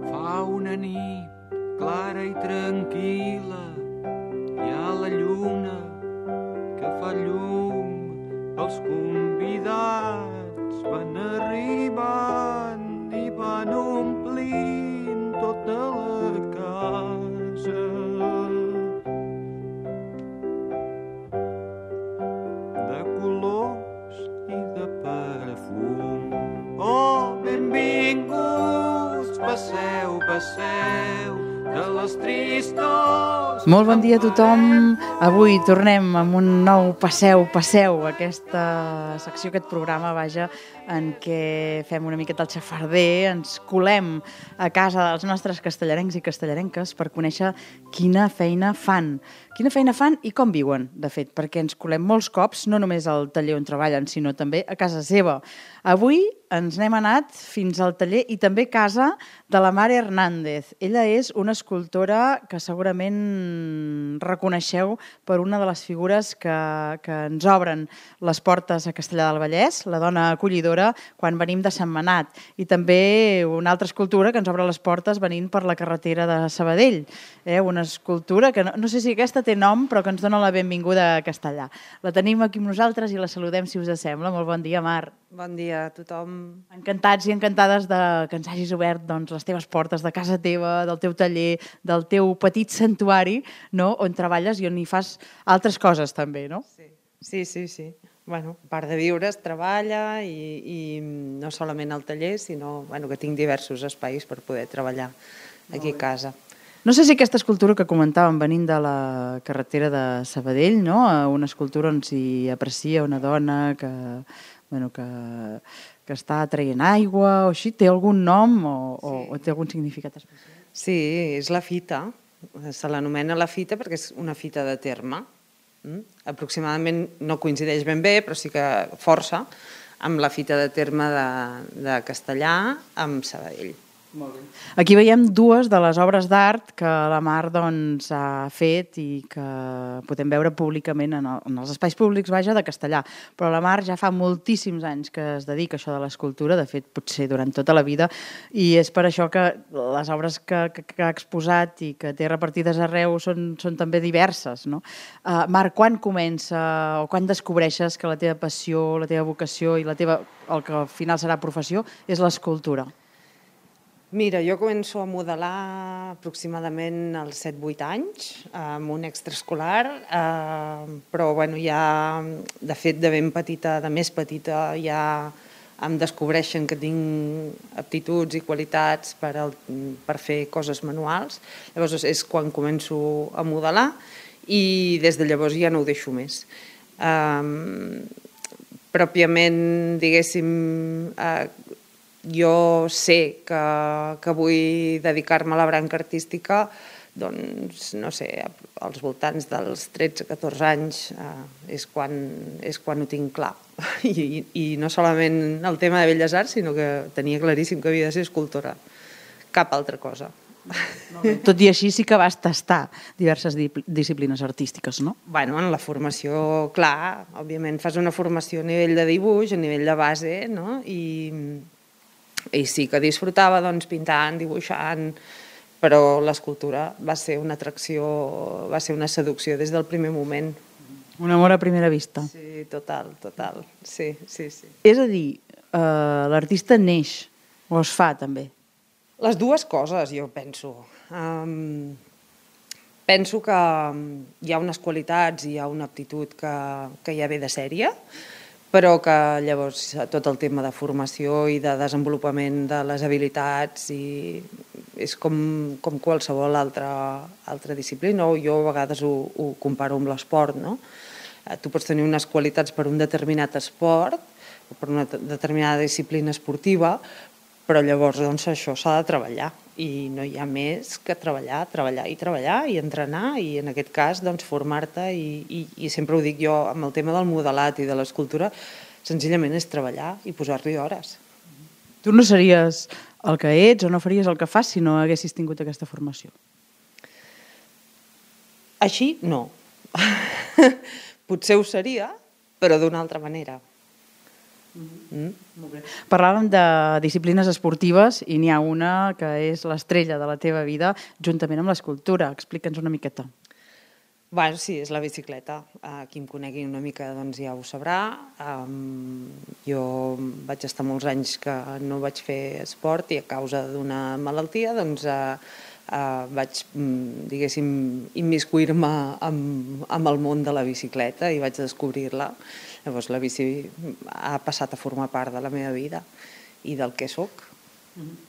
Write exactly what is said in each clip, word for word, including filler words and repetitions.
Fa una nit clara i tranquil·la, hi ha la lluna que fa llum, els convidats van arribant i van omplint tota la casa. De colors i de perfum. Oh, benvinguts, passeu, passeu, de les tristors... Molt bon dia a tothom. Avui tornem amb un nou Passeu, Passeu, aquesta secció, aquest programa, vaja, en què fem una miqueta el xafarder, ens colem a casa dels nostres castellarencs i castellarenques per conèixer quina feina fan. Quina feina fan i com viuen, de fet, perquè ens colem molts cops, no només al taller on treballen, sinó també a casa seva. Avui ens n'hem anat fins al taller i també a casa de la Mar Hernández. Ella és una escultora que segurament reconeixeu per una de les figures que, que ens obren les portes a Castellar del Vallès, la dona acollidora, quan venim de Sentmenat. I també una altra escultura que ens obre les portes venint per la carretera de Sabadell. Eh? Una escultura que no, no sé si aquesta té nom, però que ens dona la benvinguda a Castellar. La tenim aquí amb nosaltres i la saludem, si us sembla. Molt bon dia, Mar. Bon dia a tothom. Encantats i encantades de que ens hagis obert doncs, les teves portes de casa teva, del teu taller, del teu petit santuari, no? On treballes i on hi fas altres coses també, no? Sí, sí, sí. sí. Bueno, a part de viure, es treballa i, i no solament al taller, sinó bueno, que tinc diversos espais per poder treballar aquí a casa. No sé si aquesta escultura que comentàvem venint de la carretera de Sabadell, no? Una escultura on s'hi aprecia una dona que, bueno, que, que està traient aigua o així, té algun nom o, o, sí. o té algun significat especial? Sí, és la fita. Se l'anomena la fita perquè és una fita de terme. Mm? Aproximadament no coincideix ben bé, però sí que força amb la fita de terme de, de Castellar amb Sabadell. Molt bé. Aquí veiem dues de les obres d'art que la Mar doncs, ha fet i que podem veure públicament en, el, en els espais públics, vaja, de Castellar. Però la Mar ja fa moltíssims anys que es dedica a això de l'escultura, de fet, potser durant tota la vida, i és per això que les obres que, que, que ha exposat i que té repartides arreu són, són també diverses, no? Uh, Mar, quan comença o quan descobreixes que la teva passió, la teva vocació i la teva, el que al final serà professió és l'escultura? Mira, jo començo a modelar aproximadament als set vuit anys, amb un extraescolar, eh, però bueno, ja, de fet, de ben petita, de més petita, ja em descobreixen que tinc aptituds i qualitats per, el, per fer coses manuals. Llavors és quan començo a modelar i des de llavors ja no ho deixo més. Eh, pròpiament, diguéssim, eh, jo sé que, que vull dedicar-me a la branca artística, doncs, no sé, als voltants dels tretze catorze anys eh, és, quan, és quan ho tinc clar. I, I no solament el tema de Belles Arts, sinó que tenia claríssim que havia de ser escultora. Cap altra cosa. Tot i així sí que vas tastar diverses disciplines artístiques, no? Bueno, en la formació, clar, òbviament fas una formació a nivell de dibuix, a nivell de base, no? I... I sí que disfrutava doncs, pintant, dibuixant, però l'escultura va ser una atracció, va ser una seducció des del primer moment. Un amor a primera vista. Sí, total, total. Sí, sí, sí. És a dir, eh, l'artista neix o es fa també? Les dues coses, jo penso. Um, penso que hi ha unes qualitats i hi ha una aptitud que, que ja ve de sèrie, però que llavors tot el tema de formació i de desenvolupament de les habilitats i és com, com qualsevol altra, altra disciplina, o jo a vegades ho, ho comparo amb l'esport, no? Tu pots tenir unes qualitats per un determinat esport o per una determinada disciplina esportiva, però llavors doncs, això s'ha de treballar i no hi ha més que treballar, treballar i treballar i entrenar i en aquest cas doncs, formar-te i, i, i sempre ho dic jo amb el tema del modelat i de l'escultura, senzillament és treballar i posar-li hores. Tu no series el que ets o no faries el que fas si no haguessis tingut aquesta formació? Així, no. Potser ho seria, però d'una altra manera. Mm. Molt bé. Parlàvem de disciplines esportives i n'hi ha una que és l'estrella de la teva vida juntament amb l'escultura. Explica'ns una miqueta. Bueno, sí, és la bicicleta. Uh, qui em conegui una mica doncs ja ho sabrà. Um, jo vaig estar molts anys que no vaig fer esport i a causa d'una malaltia doncs uh, uh, vaig, diguéssim, immiscuir-me amb, amb el món de la bicicleta i vaig descobrir-la. Llavors la bici ha passat a formar part de la meva vida i del que sóc. Mm-hmm.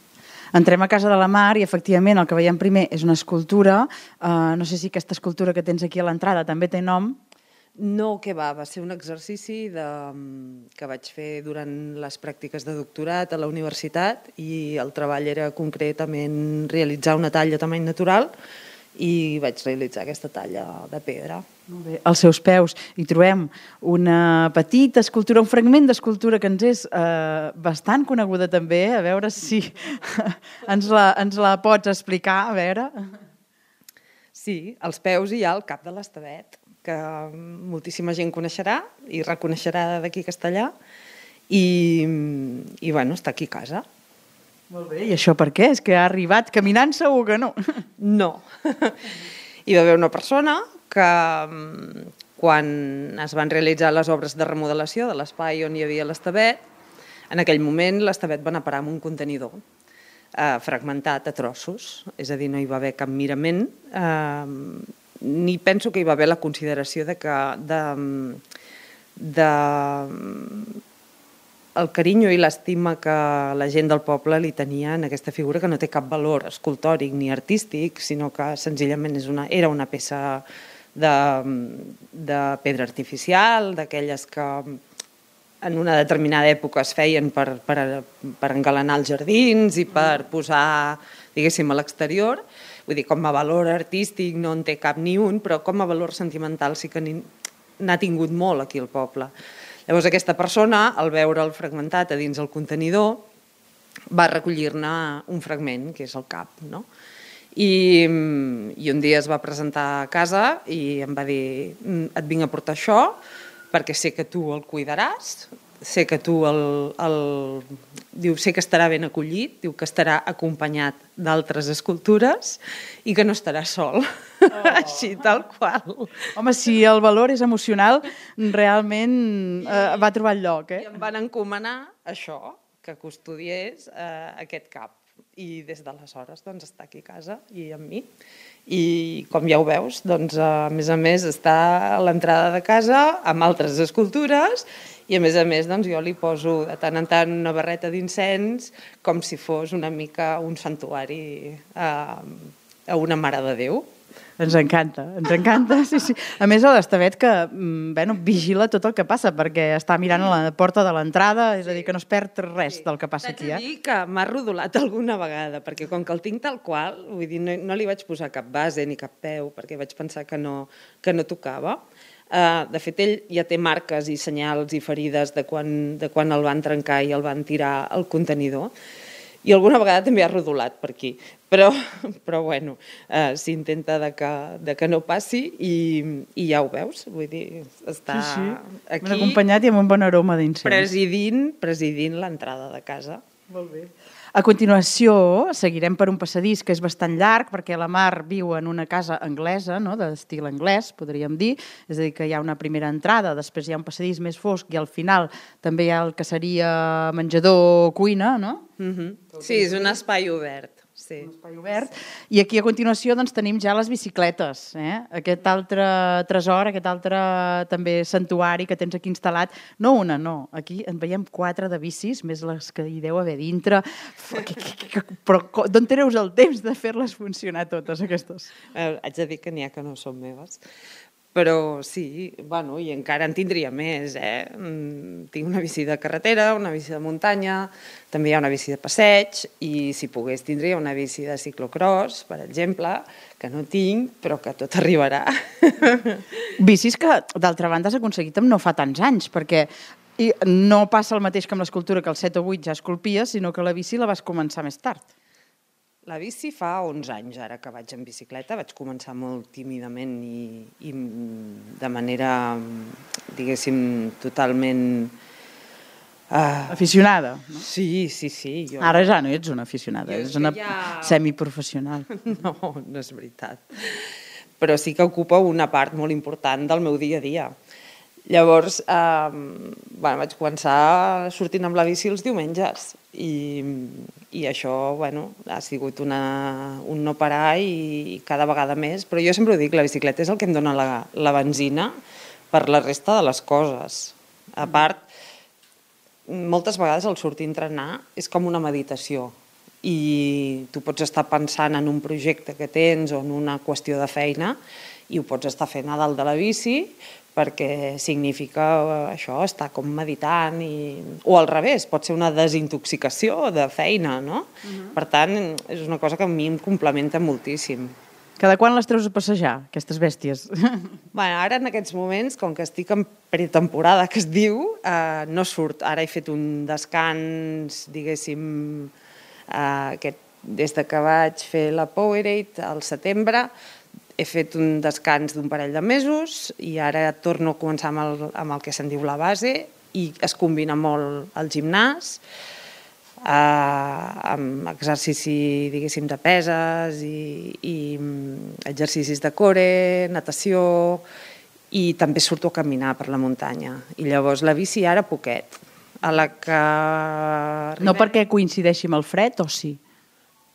Entrem a casa de la Mar i, efectivament, el que veiem primer és una escultura. Uh, no sé si aquesta escultura que tens aquí a l'entrada també té nom. No, què va, va ser un exercici de, que vaig fer durant les pràctiques de doctorat a la universitat i el treball era concretament realitzar una talla a tamany natural i vaig realitzar aquesta talla de pedra. Molt bé. Als seus peus hi trobem una petita escultura, un fragment d'escultura que ens és eh, bastant coneguda també, a veure si ens la, ens la pots explicar, a veure. Sí, als peus hi ha el cap de l'Estevet, que moltíssima gent coneixerà i reconeixerà d'aquí Castellà i, i bueno, està aquí a casa. Molt bé, i això per què? És que ha arribat caminant, segur que no. No. Hi va haver una persona que quan es van realitzar les obres de remodelació de l'espai on hi havia l'Estevet, en aquell moment l'Estevet va anar a parar amb un contenidor eh, fragmentat a trossos, és a dir, no hi va haver cap mirament, eh, ni penso que hi va haver la consideració de que de, de el carinyo i l'estima que la gent del poble li tenia en aquesta figura que no té cap valor escultòric ni artístic, sinó que senzillament és una, era una peça de, de pedra artificial, d'aquelles que en una determinada època es feien per, per, per engalanar els jardins i per posar, diguéssim, a l'exterior. Vull dir, com a valor artístic no en té cap ni un, però com a valor sentimental sí que n'ha tingut molt aquí al poble. Llavors aquesta persona, al veure'l fragmentat a dins el contenidor, va recollir-ne un fragment, que és el cap, no? I, I un dia es va presentar a casa i em va dir, et vinc a portar això perquè sé que tu el cuidaràs, sé que tu el, el... Diu, sé que estarà ben acollit, diu que estarà acompanyat d'altres escultures i que no estarà sol. Oh. Així, tal qual. Home, si el valor és emocional, realment eh, va trobar el lloc, eh? I em van encomanar això, que custodiés eh, aquest cap. I des d'aleshores doncs, està aquí a casa i amb mi. I com ja ho veus, doncs, a més a més està a l'entrada de casa amb altres escultures i a més a més doncs, jo li poso de tant en tant una barreta d'incens com si fos una mica un santuari a, a una Mare de Déu. Ens encanta, ens encanta, sí, sí. A més, a l'Estevet que bueno, vigila tot el que passa, perquè està mirant a la porta de l'entrada, és a dir, que no es perd res sí. del que passa aquí. T'haig de dir que m'ha rodolat alguna vegada, perquè com que el tinc tal qual, vull dir, no, no li vaig posar cap base ni cap peu, perquè vaig pensar que no, que no tocava. Uh, de fet, ell ja té marques i senyals i ferides de quan, de quan el van trencar i el van tirar al contenidor. I alguna vegada també ha rodolat per aquí, però, però bueno, eh, s'intenta de que, de que no passi i, i ja ho veus, vull dir, està sí, sí. aquí... Ben acompanyat i amb un bon aroma d'incens. Presidint, presidint l'entrada de casa. Molt bé. A continuació, seguirem per un passadís que és bastant llarg, perquè la Mar viu en una casa anglesa, no? D'estil anglès, podríem dir. És a dir, que hi ha una primera entrada, després hi ha un passadís més fosc i al final també hi ha el que seria menjador-cuina, no? Mm-hmm. Sí, és un espai obert. Sí. Un espai obert. I aquí a continuació doncs, tenim ja les bicicletes, eh? Aquest altre tresor, aquest altre també santuari que tens aquí instal·lat. No una, no. Aquí en veiem quatre de bicis, més les que hi deu haver dintre. Però d'on treus el temps de fer-les funcionar totes, aquestes? Eh, haig de dir que n'hi ha que no són meves. Però sí, bueno, i encara en tindria més, eh? Tinc una bici de carretera, una bici de muntanya, també hi ha una bici de passeig i si pogués tindria una bici de ciclocross, per exemple, que no tinc, però que tot arribarà. Bicis que, d'altra banda, has aconseguit amb no fa tants anys, perquè i no passa el mateix que amb l'escultura, que als set o vuit ja esculpies, sinó que la bici la vas començar més tard. La bici fa onze anys, ara que vaig en bicicleta. Vaig començar molt tímidament i, i de manera, diguéssim, totalment Uh, Aficionada, no? sí, sí, sí. Jo... Ara ja no ets una aficionada, Jo ets una ja- semiprofessional. No, no és veritat. Però sí que ocupa una part molt important del meu dia a dia. Llavors, eh, bueno, vaig començar sortint amb la bici els diumenges i, i això, bueno, ha sigut una, un no parar i cada vegada més. Però jo sempre ho dic, la bicicleta és el que em dona la, la benzina per la resta de les coses. A part, moltes vegades el sortir a entrenar és com una meditació i tu pots estar pensant en un projecte que tens o en una qüestió de feina i ho pots estar fent a dalt de la bici perquè significa això, estar com meditant i... o al revés, pot ser una desintoxicació de feina, no? Uh-huh. Per tant, és una cosa que a mi em complementa moltíssim. Cada quan les treus a passejar, aquestes bèsties? Bueno, ara en aquests moments, com que estic en pretemporada, que es diu, eh, no surt. Ara he fet un descans, diguéssim, eh, aquest, des de que vaig fer la Powerade al setembre, he fet un descans d'un parell de mesos i ara torno a començar amb el, amb el que se'n diu la base i es combina molt el gimnàs, eh, amb exercici, diguéssim, de peses i, i exercicis de core, natació, i també surto a caminar per la muntanya. I llavors la bici ara poquet. A la que... No perquè coincideixi amb el fred, o sí?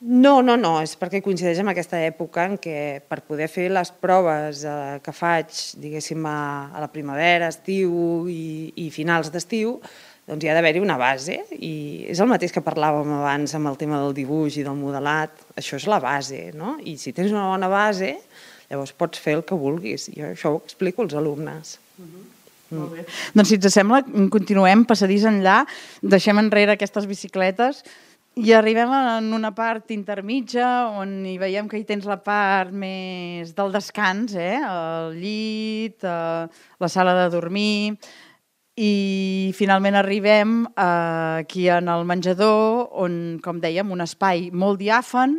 No, no, no, és perquè coincideix amb aquesta època en què per poder fer les proves eh, que faig, diguéssim, a, a la primavera, estiu i, i finals d'estiu, doncs hi ha d'haver-hi una base i és el mateix que parlàvem abans amb el tema del dibuix i del modelat, això és la base, no? I si tens una bona base, llavors pots fer el que vulguis. Jo això ho explico als alumnes. Uh-huh. Mm. Molt bé. Doncs si ens sembla, continuem passadís enllà, deixem enrere aquestes bicicletes i arribem en una part intermitja on hi veiem que hi tens la part més del descans, eh? El llit, eh, la sala de dormir, i finalment arribem eh, aquí en el menjador on, com dèiem, un espai molt diàfan,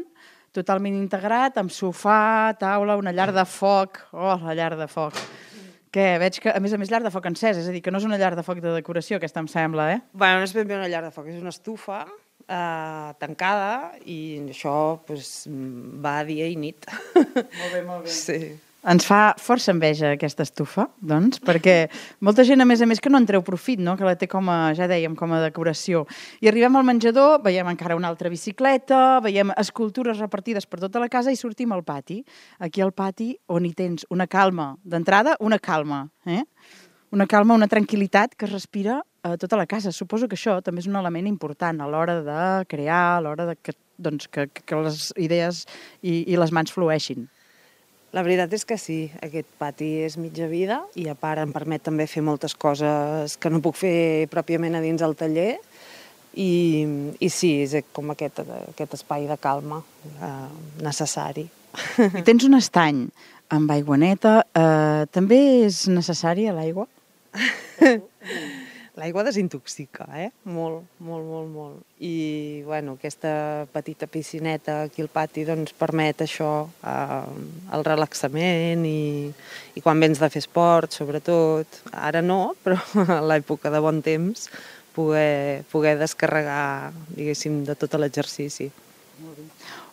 totalment integrat, amb sofà, taula, una llar de foc. Oh, la llar de foc. Què? Veig que, a més a més, llar de foc encès, és a dir, que no és una llar de foc de decoració, aquesta em sembla, eh? Bueno, no és ben bé una llar de foc, és una estufa eh, tancada i això pues, va dia i nit. Molt bé, molt bé. Sí. Ens fa força enveja aquesta estufa, doncs, perquè molta gent, a més a més, que no en treu profit, no? Que la té com a, ja dèiem, com a decoració. I arribem al menjador, veiem encara una altra bicicleta, veiem escultures repartides per tota la casa i sortim al pati. Aquí al pati on hi tens una calma d'entrada, una calma, eh? Una calma, una tranquil·litat que es respira a tota la casa. Suposo que això també és un element important a l'hora de crear, a l'hora de que, doncs, que, que les idees i, i les mans flueixin. La veritat és que sí, aquest pati és mitja vida i a part em permet també fer moltes coses que no puc fer pròpiament a dins del taller i, i sí, és com aquest, aquest espai de calma eh, necessari. I tens un estany amb aigua neta, eh, també és necessària l'aigua? L'aigua desintoxica, eh? Molt, molt, molt, molt. I, bueno, aquesta petita piscineta aquí al pati, doncs, permet això, eh, el relaxament i, i quan vens de fer esport, sobretot. Ara no, però a l'època de bon temps, poder, poder descarregar, diguéssim, de tot l'exercici.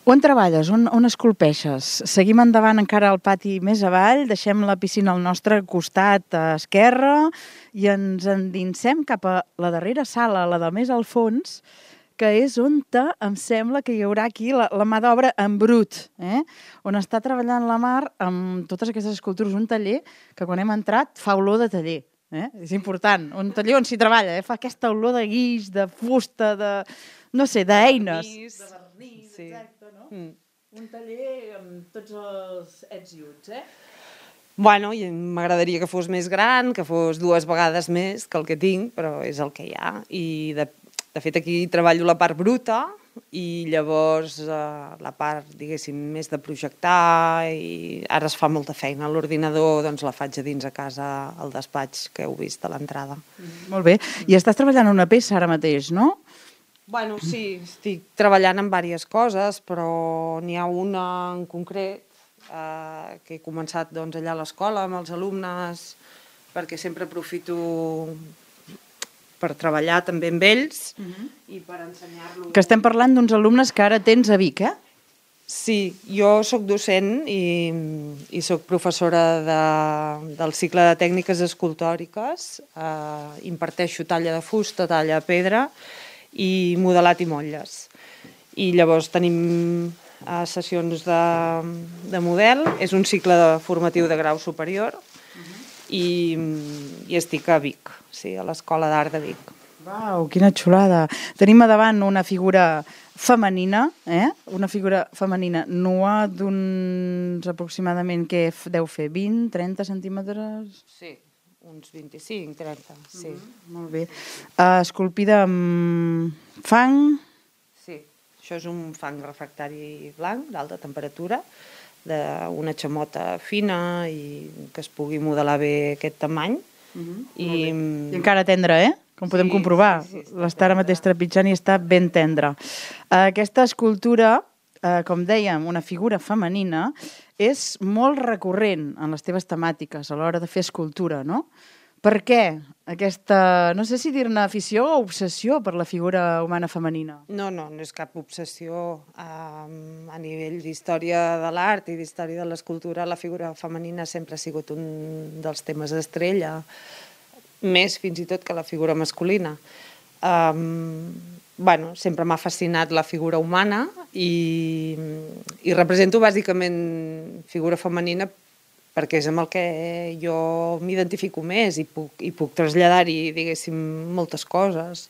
On treballes? On, on esculpeixes? Seguim endavant encara al pati més avall, deixem la piscina al nostre costat esquerre i ens endinsem cap a la darrera sala, la del més al fons, que és on te, em sembla que hi haurà aquí la, la mà d'obra en brut, eh? On està treballant la Mar amb totes aquestes escultures, un taller que quan hem entrat fa olor de taller. Eh? És important, un taller on s'hi treballa, eh? Fa aquesta olor de guix, de fusta, de, no sé, d'eines. De vernís, sí. Exacte, no? Mm. Un taller amb tots els ets i uts, eh? Bueno, m'agradaria que fos més gran, que fos dues vegades més que el que tinc, però és el que hi ha. I de, de fet aquí treballo la part bruta i llavors eh, la part, diguéssim, més de projectar i ara es fa molta feina. L'ordinador doncs la faig a dins a casa al despatx que heu vist a l'entrada. Mm. Molt bé. I estàs treballant una peça ara mateix, no? Bueno, sí, estic treballant en diverses coses, però n'hi ha una en concret eh, que he començat doncs, allà a l'escola amb els alumnes perquè sempre aprofito per treballar també amb ells i per ensenyar-los. Que estem parlant d'uns alumnes que ara tens a Vic, eh? Sí, jo sóc docent i, i sóc professora de, del cicle de tècniques escultòriques, eh, imparteixo talla de fusta, talla de pedra i modelat i motlles. I llavors tenim eh, sessions de, de model, és un cicle de formatiu de grau superior i, i estic a Vic, sí, a l'Escola d'Art de Vic. Uau, quina xulada. Tenim a davant una figura femenina, eh? Una figura femenina nua d'uns aproximadament que deu fer vint, trenta centímetres... Sí, uns vint-i-cinc, trenta, sí. Mm-hmm. Molt bé. Uh, esculpida amb fang... Sí, això és un fang refractari blanc d'alta temperatura, d'una xamota fina i que es pugui modelar bé aquest tamany. Mm-hmm. I... I encara tendre, eh? Com podem Sí, comprovar. sí, sí, L'està ara mateix trepitjant i està ben tendre. Uh, aquesta escultura, uh, com dèiem, una figura femenina, és molt recurrent en les teves temàtiques a l'hora de fer escultura, no? Per què aquesta, no sé si dir-ne afició o obsessió per la figura humana femenina? No, no, no és cap obsessió. Um, a nivell d'història de l'art i d'història de l'escultura, la figura femenina sempre ha sigut un dels temes estrella, més fins i tot que la figura masculina. Um, bueno, sempre m'ha fascinat la figura humana i, i represento bàsicament figura femenina perquè és amb el que jo m'identifico més i puc, i puc traslladar-hi, diguéssim, moltes coses.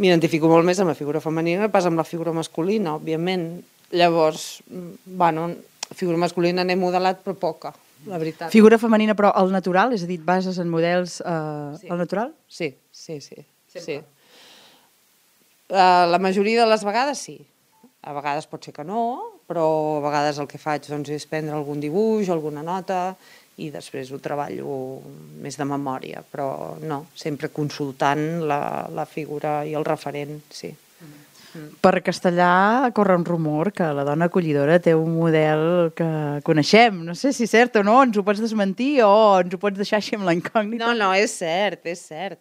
M'identifico molt més amb la figura femenina que pas amb la figura masculina, òbviament. Llavors, bueno, la figura masculina n'he modelat, però poca, la veritat. Figura femenina, però al natural? És a dir, et bases en models eh, Sí. al natural? Sí, sí, sí. Sempre. sí. Uh, la majoria de les vegades sí. A vegades pot ser que no, però a vegades el que faig doncs, és prendre algun dibuix, alguna nota, i després ho treballo més de memòria, però no, sempre consultant la, la figura i el referent, sí. Per Castellà corre un rumor que la dona acollidora té un model que coneixem. No sé si és cert o no, ens ho pots desmentir o ens ho pots deixar així amb la incògnita. No, no, és cert, és cert.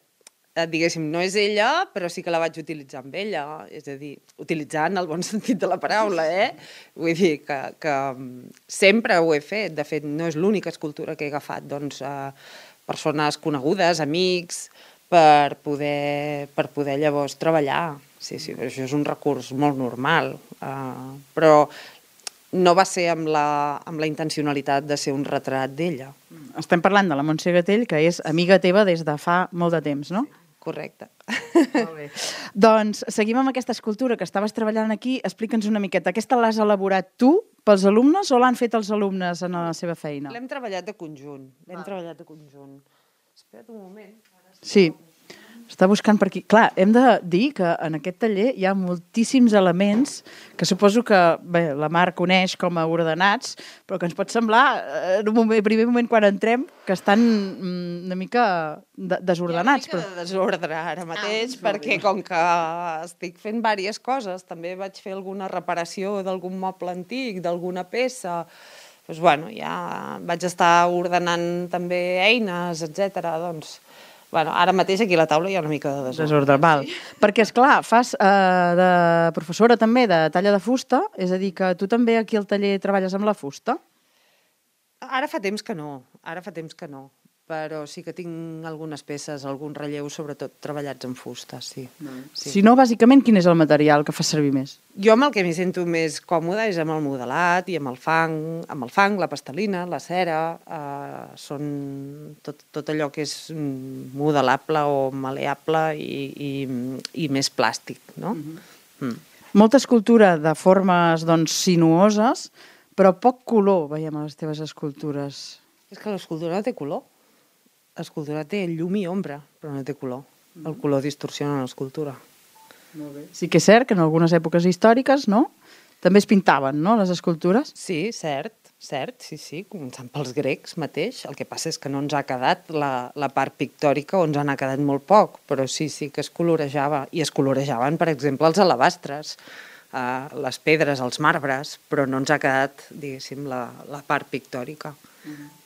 Eh, Diguéssim, no és ella, però sí que la vaig utilitzar amb ella. És a dir, utilitzar en el bon sentit de la paraula, eh? Vull dir que, que sempre ho he fet. De fet, no és l'única escultura que he agafat. Doncs eh, persones conegudes, amics, per poder, per poder llavors treballar. Sí, sí, això és un recurs molt normal. Uh, però no va ser amb la, amb la intencionalitat de ser un retrat d'ella. Estem parlant de la Montse Gatell, que és amiga teva des de fa molt de temps, no? Correcte. Molt bé. Doncs seguim amb aquesta escultura que estaves treballant aquí. Explica'ns una miqueta. Aquesta l'has elaborat tu pels alumnes o l'han fet els alumnes en la seva feina? L'hem treballat de conjunt. L'hem treballat de conjunt. Espera't un moment. Sí. Està buscant per aquí. Clar, hem de dir que en aquest taller hi ha moltíssims elements que suposo que bé, la Mar coneix com a ordenats, però que ens pot semblar, en un moment, primer moment quan entrem, que estan mm, una mica de desordenats. Hi ha una mica de desordre ara mateix, ah, perquè com que estic fent diverses coses, també vaig fer alguna reparació d'algun moble antic, d'alguna peça, doncs, bueno, ja vaig estar ordenant també eines, etcètera. Doncs, bueno, ara mateix aquí a la taula hi ha una mica de desordre. Desordre, val. Sí. Perquè, esclar, fas eh, de professora també de talla de fusta, és a dir, que tu també aquí al taller treballes amb la fusta? Ara fa temps que no, ara fa temps que no, però sí que tinc algunes peces, algun relleu, sobretot treballats en fusta, sí. sí. Si no, bàsicament, quin és el material que fas servir més? Jo amb el que m'hi sento més còmoda és amb el modelat i amb el fang, amb el fang, la pastelina, la cera, eh, són tot, tot allò que és modelable o maleable i, i, i més plàstic, no? Mm-hmm. mm. Molta escultura de formes, doncs, sinuoses, però poc color, veiem a les teves escultures. És que l'escultura no té color. L'escultura té llum i ombra, però no té color. El color distorsiona l'escultura. Molt bé. Sí que és cert que en algunes èpoques històriques, no?, també es pintaven, no?, les escultures? Sí, cert, cert, sí, sí, començant pels grecs mateix. El que passa és que no ens ha quedat la, la part pictòrica o ens n'ha quedat molt poc, però sí, sí que es colorejava. I es colorejaven, per exemple, els alabastres, eh, les pedres, els marbres, però no ens ha quedat, diguéssim, la, la part pictòrica.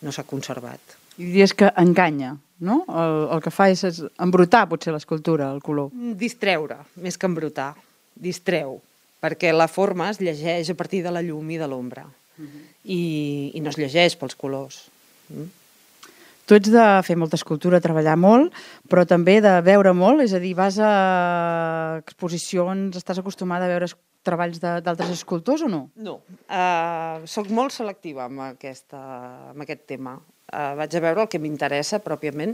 no s'ha conservat. I diries que enganya, no? El, el que fa és, és embrutar, potser, l'escultura, el color. Distreure, més que embrutar. Distreu, perquè la forma es llegeix a partir de la llum i de l'ombra. I, i no es llegeix pels colors. Mm? Tu ets de fer molta escultura, treballar molt, però també de veure molt, és a dir, vas a exposicions, estàs acostumada a veure treballs d'altres escultors o no? No, uh, soc molt selectiva amb, aquesta, amb aquest tema. Uh, vaig a veure el que m'interessa pròpiament,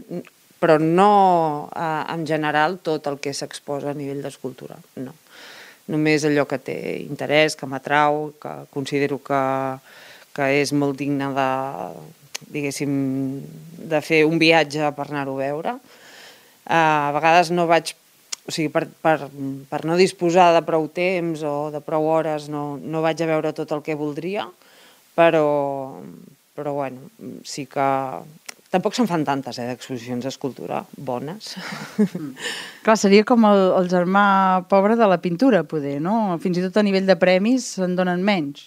però no uh, en general tot el que s'exposa a nivell d'escultura, no. Només allò que té interès, que m'atrau, que considero que, que és molt digne de, diguéssim, de fer un viatge per anar-ho a veure. Uh, a vegades no vaig, o sigui, per, per, per no disposar de prou temps o de prou hores no, no vaig a veure tot el que voldria, però, però bueno, sí que... Tampoc se'n fan tantes, eh, d'exposicions d'escultura bones. Mm. Clar, seria com el, el germà pobre de la pintura, poder, no? Fins i tot a nivell de premis se'n donen menys.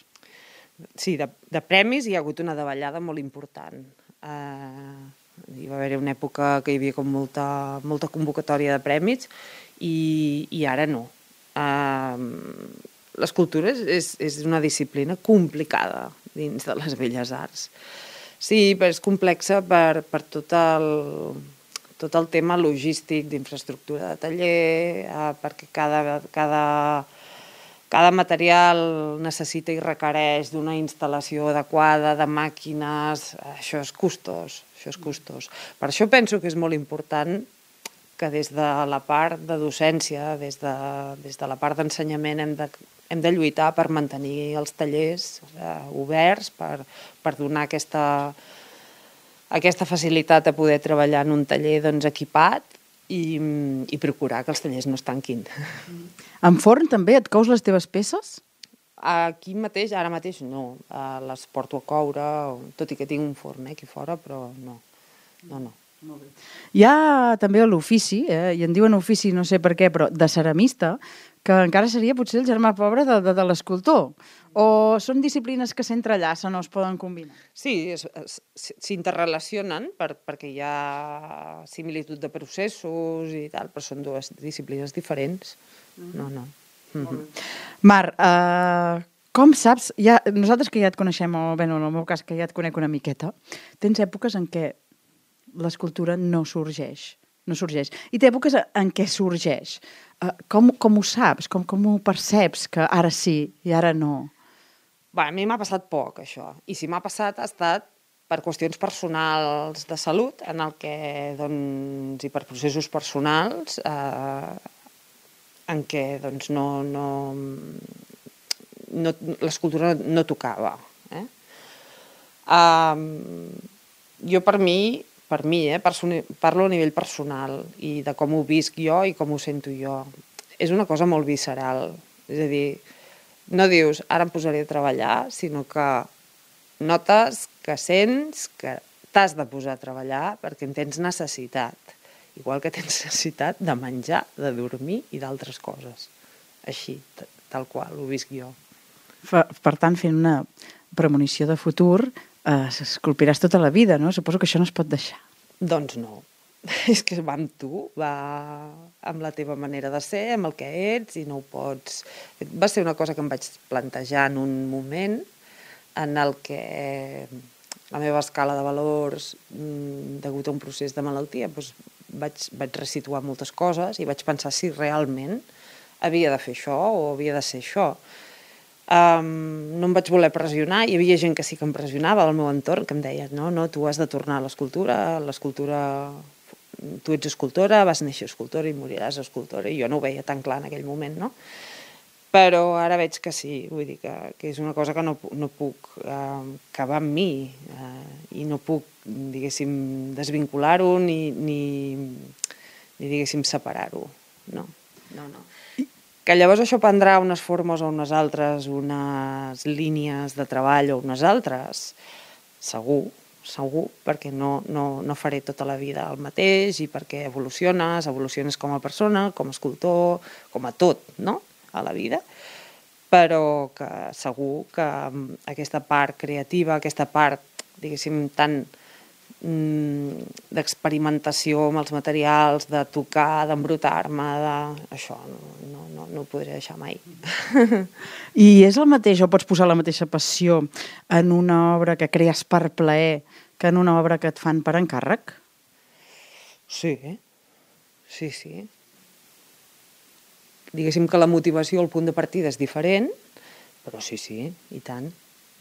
Sí, de, de premis hi ha hagut una davallada molt important. Uh, hi va haver una època que hi havia com molta, molta convocatòria de premis i, i ara no. Uh, L'escultura és, és una disciplina complicada dins de les belles arts. Sí, però és complexa per, per tot, el, tot el tema logístic d'infraestructura de taller, eh, perquè cada, cada, cada material necessita i requereix d'una instal·lació adequada, de màquines, això és costós, això és costós. Per això penso que és molt important que des de la part de docència, des de, des de la part d'ensenyament hem de, hem de lluitar per mantenir els tallers eh, oberts, per, per donar aquesta, aquesta facilitat a poder treballar en un taller doncs, equipat i, i procurar que els tallers no es tanquin. En forn també et cous les teves peces? Aquí mateix, ara mateix no, eh, les porto a coure, tot i que tinc un forn eh, aquí fora, però no, no, no. Hi ha també l'ofici, eh, i en diuen ofici no sé per què, però de ceramista, que encara seria potser el germà pobre de, de, de l'escultor. O són disciplines que s'entrellacen o es poden combinar? Sí, s'interrelacionen per, perquè hi ha similitud de processos i tal, però són dues disciplines diferents. No, no. Mm-hmm. Mar, eh, com saps, ja, nosaltres que ja et coneixem, o bé, no, en el meu cas que ja et conec una miqueta, tens èpoques en què l'escultura no sorgeix, no sorgeix. I té èpoques en què sorgeix. Uh, com, com ho saps? Com, com ho perceps que ara sí i ara no? Bé, a mi m'ha passat poc, això. I si m'ha passat ha estat per qüestions personals de salut, en el que, doncs, i per processos personals, eh, en què, doncs, no, no, no l'escultura no tocava. Eh? Um, jo, per mi, per mi, eh, parlo a nivell personal i de com ho visc jo i com ho sento jo. És una cosa molt visceral. És a dir, no dius, ara em posaré a treballar, sinó que notes, que sents, que t'has de posar a treballar perquè en tens necessitat. Igual que tens necessitat de menjar, de dormir i d'altres coses. Així, tal qual, ho visc jo. Per tant, fent una premonició de futur, eh, s'esculpiràs tota la vida, no? Suposo que això no es pot deixar. Doncs no. És que va amb tu, va amb la teva manera de ser, amb el que ets, i no ho pots... Va ser una cosa que em vaig plantejar en un moment en el que la meva escala de valors, degut a un procés de malaltia, doncs vaig, vaig resituar moltes coses i vaig pensar si realment havia de fer això o havia de ser això. Um, no em vaig voler pressionar, hi havia gent que sí que em pressionava al meu entorn, que em deia, no, no, tu has de tornar a l'escultura, l'escultura, tu ets escultora, vas néixer escultora i moriràs escultora, i jo no ho veia tan clar en aquell moment, no? Però ara veig que sí, vull dir que, que és una cosa que no, no puc, eh, que va amb mi, eh, i no puc, diguéssim, desvincular-ho ni, ni, ni diguéssim, separar-ho, no, no, no. Que llavors això prendrà unes formes o unes altres, unes línies de treball o unes altres, segur, segur, perquè no, no, no faré tota la vida el mateix i perquè evoluciones, evoluciones com a persona, com a escultor, com a tot, no?, a la vida, però que segur que aquesta part creativa, aquesta part diguéssim, tant mm, d'experimentació amb els materials, de tocar, d'embrutar-me, de... això no, no, no, no ho podré deixar mai. I és el mateix, o pots posar la mateixa passió en una obra que crees per plaer que en una obra que et fan per encàrrec? Sí, sí, sí. Diguéssim que la motivació, el punt de partida és diferent, però sí, sí, i tant,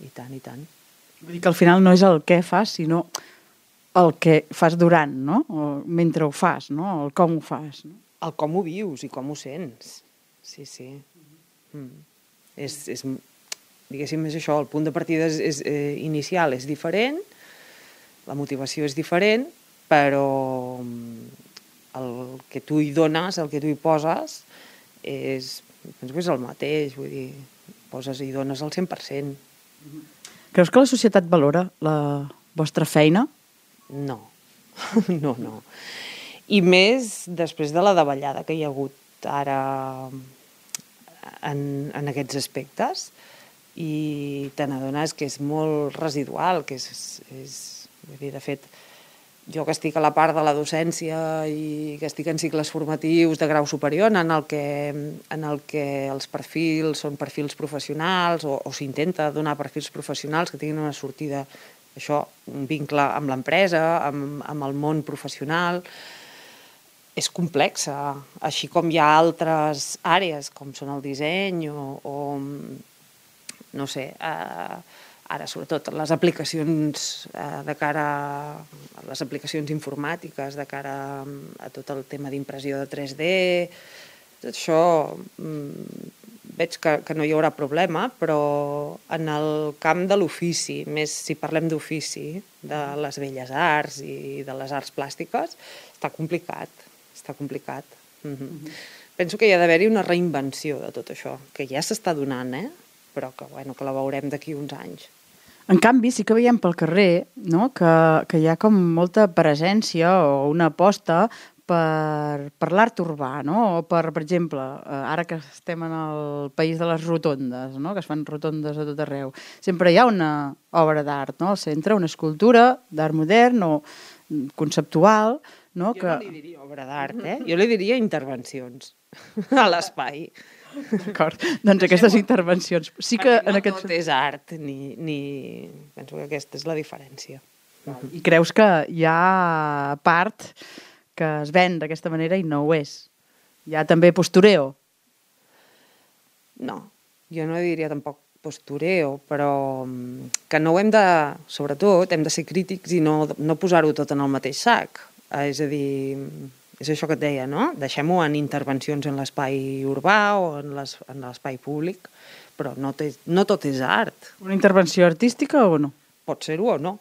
i tant, i tant. Vull dir que al final no és el què fas, sinó el que fas durant, no? O mentre ho fas, no? El com ho fas, no? El com ho vius i com ho sents. Sí, sí. Mm. És, és, diguéssim, és això, el punt de partida és, és, eh, inicial és diferent, la motivació és diferent, però el que tu hi dones, el que tu hi poses, és, penso que és el mateix, vull dir, poses i dones el cent per cent. Creus que la societat valora la vostra feina? No, no, no. I més després de la davallada que hi ha hagut ara en, en aquests aspectes, i te n'adones que és molt residual, que és, és vull dir, de fet, jo que estic a la part de la docència i que estic en cicles formatius de grau superior en el que, en el que els perfils són perfils professionals o, o s'intenta donar perfils professionals que tinguin una sortida, això, un vincle amb l'empresa, amb, amb el món professional, és complexa, així com hi ha altres àrees com són el disseny o, o no sé, eh, ara sobretot les aplicacions eh, de cara a les aplicacions informàtiques, de cara a tot el tema d'impressió de tres D, tot això mm, veig que, que no hi haurà problema, però en el camp de l'ofici, més si parlem d'ofici, de les belles arts i de les arts plàstiques, està complicat, està complicat. Mm-hmm. Mm-hmm. Penso que hi ha d'haver-hi una reinvenció de tot això, que ja s'està donant, eh? Però que, bueno, que la veurem d'aquí uns anys. En canvi, sí que veiem pel carrer, no? que, que hi ha com molta presència o una aposta per, per l'art urbà, no? O per, per exemple, ara que estem en el país de les rotondes, no? Que es fan rotondes a tot arreu, sempre hi ha una obra d'art, no? Al centre, una escultura d'art modern o conceptual, no? Jo que... no li diria obra d'art, eh? Jo li diria intervencions a l'espai. D'acord, doncs aquestes intervencions. Sí que perquè no en aquest... tot és art, ni, ni... penso que aquesta és la diferència. I creus que hi ha part que es ven d'aquesta manera i no ho és? Hi ha també postureo? No, jo no diria tampoc postureo, però que no ho hem de... Sobretot, hem de ser crítics i no, no posar-ho tot en el mateix sac. És a dir... És això que et deia, no? Deixem-ho en intervencions en l'espai urbà o en l'espai públic, però no, té, no tot és art. Una intervenció artística o no? Pot ser-ho o no.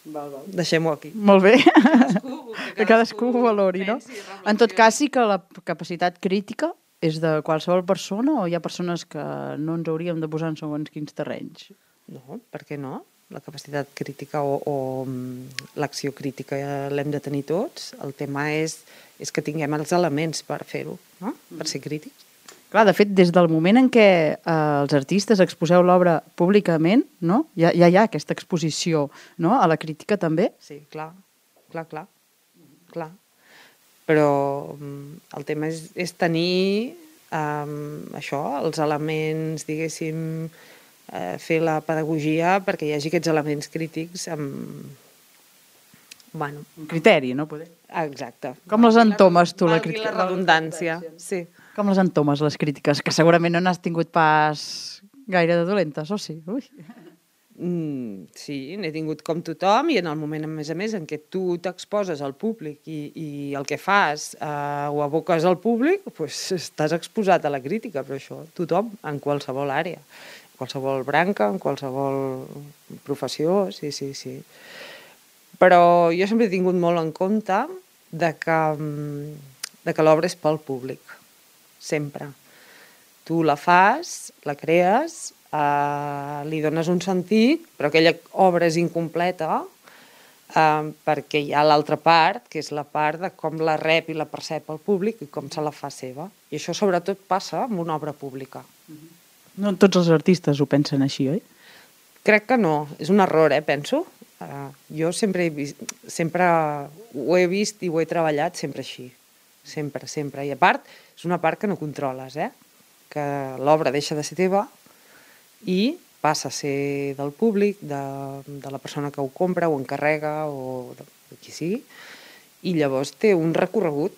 Val, val. Deixem-ho aquí. Molt bé. Cadascú, que que cadascú ho valori, no? En tot cas, sí que la capacitat crítica és de qualsevol persona o hi ha persones que no ens hauríem de posar en segons quins terrenys? No, per què no? La capacitat crítica o, o l'acció crítica l'hem de tenir tots. El tema és, és que tinguem els elements per fer-ho, no? Per ser crítics. Clar, de fet, des del moment en què eh, els artistes exposeu l'obra públicament, no? ja, ja hi ha aquesta exposició, no? A la crítica també. Sí, clar, clar, clar, clar. Però el tema és, és tenir um, això, els elements, diguéssim, fer la pedagogia perquè hi hagi aquests elements crítics amb... Bueno. Un criteri, no? Poder. Exacte. Com les entomes tu, la crítica? La redundància, sí. Com les entomes, les crítiques? Que segurament no n'has tingut pas gaire de dolentes, o sí? Ui. Mm, sí, n'he tingut com tothom i en el moment, a més a més, en què tu t'exposes al públic i, i el que fas eh, ho aboques al públic, doncs estàs exposat a la crítica, però això tothom, en qualsevol àrea. Qualsevol branca, en qualsevol professió, sí, sí, sí. Però jo sempre he tingut molt en compte de que, de que l'obra és pel públic, sempre. Tu la fas, la crees, eh, li dones un sentit, però aquella obra és incompleta eh, perquè hi ha l'altra part, que és la part de com la rep i la percep el públic i com se la fa seva. I això sobretot passa amb una obra pública. No tots els artistes ho pensen així, oi? Crec que no, és un error, eh, penso. Uh, jo sempre he, vist, sempre ho he vist i ho he treballat sempre així, sempre, sempre. I a part, és una part que no controles, eh? Que l'obra deixa de ser teva i passa a ser del públic, de, de la persona que ho compra, o encarrega, o de, de qui sigui, i llavors té un recorregut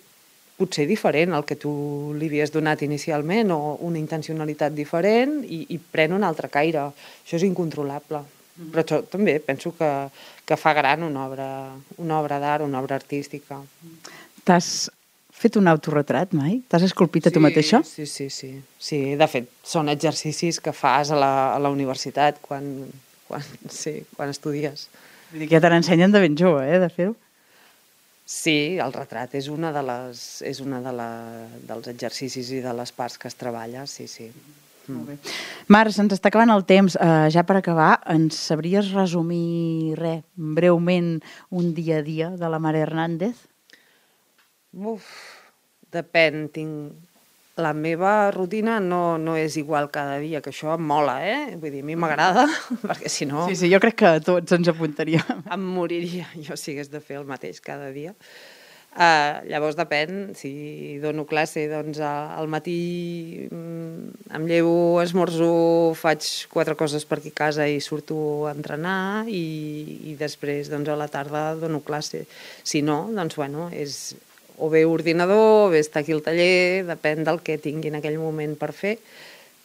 potser diferent al que tu li havies donat inicialment, o una intencionalitat diferent, i, i pren un altre caire. Això és incontrolable. Però això també penso que, que fa gran una obra, una obra d'art, una obra artística. T'has fet un autorretrat mai? T'has esculpit a tu mateixa? Sí, sí, sí. Sí, de fet, són exercicis que fas a la, a la universitat quan, quan, sí, quan estudies. Vull dir que ja te n'ensenyen de ben jove, eh, de fer-ho. Sí, el retrat és una de les, és una de la, dels exercicis i de les parts que es treballa, sí, sí. Molt bé. Mar, se'ns està acabant el temps. Uh, ja per acabar, ens sabries resumir, res, breument, un dia a dia de la Mare Hernández? Uf, depèn. Tinc... La meva rutina no, no és igual cada dia, que això em mola, eh? Vull dir, a mi m'agrada, perquè si no... Sí, sí, jo crec que tots ens apuntaríem. Em moriria jo si hagués de fer el mateix cada dia. Uh, llavors depèn, si dono classe, doncs al matí em llevo, esmorzo, faig quatre coses per aquí a casa i surto a entrenar, i, i després doncs, a la tarda dono classe. Si no, doncs bueno, és o bé ordinador, o bé estar aquí al taller, depèn del que tingui en aquell moment per fer,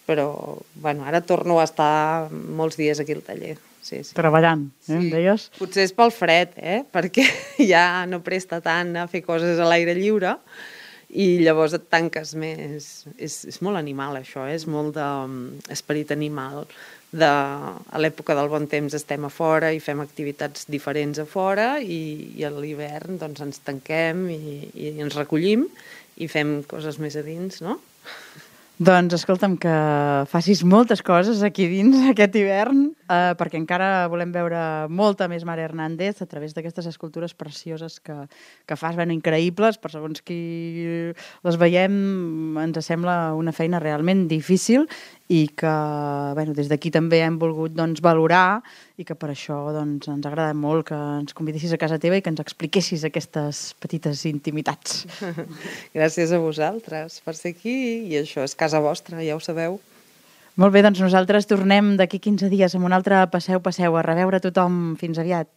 però bueno, ara torno a estar molts dies aquí al taller. Sí, sí. Treballant, eh, em Sí. deies? Potser és pel fred, eh? Perquè ja no presta tant a fer coses a l'aire lliure i llavors et tanques més. És, és molt animal, això, eh? És molt d'esperit animal. De, a l'època del bon temps estem a fora i fem activitats diferents a fora, i, i a l'hivern doncs, ens tanquem i, i ens recollim i fem coses més a dins, no? Doncs escolta'm, que facis moltes coses aquí dins aquest hivern, eh, perquè encara volem veure molta més Mare Hernández a través d'aquestes escultures precioses que, que fas, ben increïbles, per segons qui les veiem ens sembla una feina realment difícil i que bueno, des d'aquí també hem volgut doncs, valorar, i que per això doncs, ens agrada molt que ens convidessis a casa teva i que ens expliquessis aquestes petites intimitats. Gràcies a vosaltres per ser aquí, i això és casa vostra, ja ho sabeu. Molt bé, doncs nosaltres tornem d'aquí quinze dies amb un altre Passeu, Passeu. A reveure a tothom. Fins aviat.